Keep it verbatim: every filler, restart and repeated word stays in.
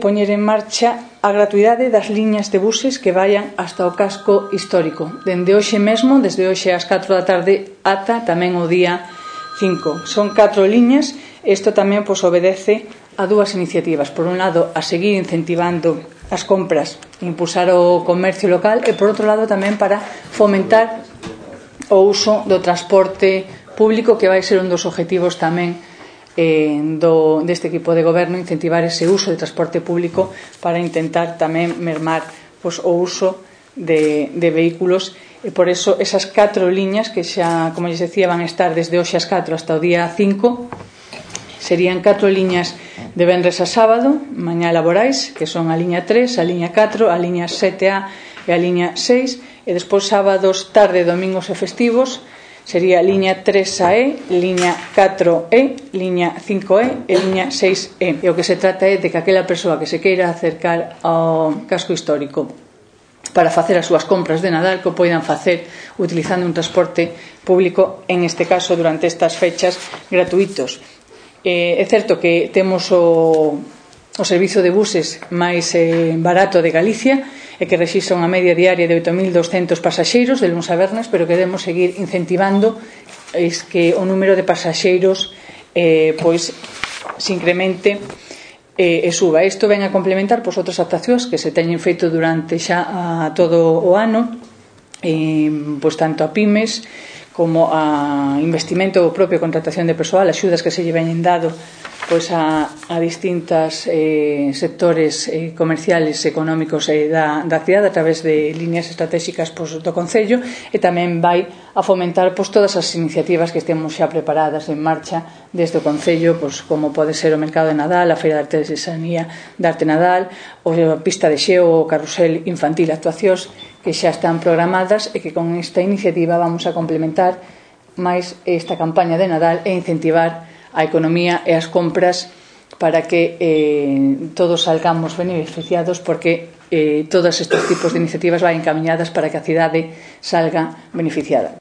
Poñer en marcha a gratuidade das liñas de buses que vayan hasta o casco histórico. Dende hoxe mesmo, desde hoxe ás catro da tarde ata tamén o día cinco. Son catro liñas. Isto tamén pois, obedece a dúas iniciativas. Por un lado, a seguir incentivando as compras, impulsar o comercio local e, por outro lado, tamén para fomentar o uso do transporte público, que vai ser un dos objetivos tamén Eh, do, deste equipo de goberno, incentivar ese uso de transporte público para intentar tamén mermar pois, o uso de, de vehículos, e por eso esas catro liñas que xa, como lles decía, van a estar desde hoxe ás catro hasta o día cinco. Serían catro liñas de venres a sábado, mañá laborais, que son a liña tres, a liña catro, a liña sete A e a liña seis, e despois sábados, tarde, domingos e festivos sería liña tres A E, liña catro E, liña cinco E e liña seis E. E o que se trata é de que aquela persoa que se queira acercar ao casco histórico para facer as súas compras de Nadal, que o poidan facer utilizando un transporte público, en este caso durante estas fechas, gratuitos. Eh, é certo que temos o, o servizo de buses máis eh, barato de Galicia, e que rexistra unha media diaria de oito mil douscentos pasaxeiros de luns a vernes, pero que debemos seguir incentivando es que o número de pasaxeiros eh, pois se incremente eh, e suba. Isto ven a complementar pois, outras actuacións que se teñen feito durante xa a todo o ano, eh, pois tanto a pymes como a investimento propio, contratación de persoal, axudas que se lle veñen dado pois a, a distintas eh, sectores eh, comerciales, económicos eh, da, da cidade a través de líneas estratégicas pois, do Concello, e tamén vai a fomentar pois, todas as iniciativas que temos xa preparadas en marcha desde o Concello, pois, como pode ser o Mercado de Nadal, a Feira de Artesanía de Arte Nadal, ou a pista de xeo, o carrusel infantil, actuacións que xa están programadas e que con esta iniciativa vamos a complementar máis esta campaña de Nadal e incentivar a economía e as compras para que eh, todos salgamos beneficiados, porque eh, todos estes tipos de iniciativas van encaminhadas para que a cidade salga beneficiada.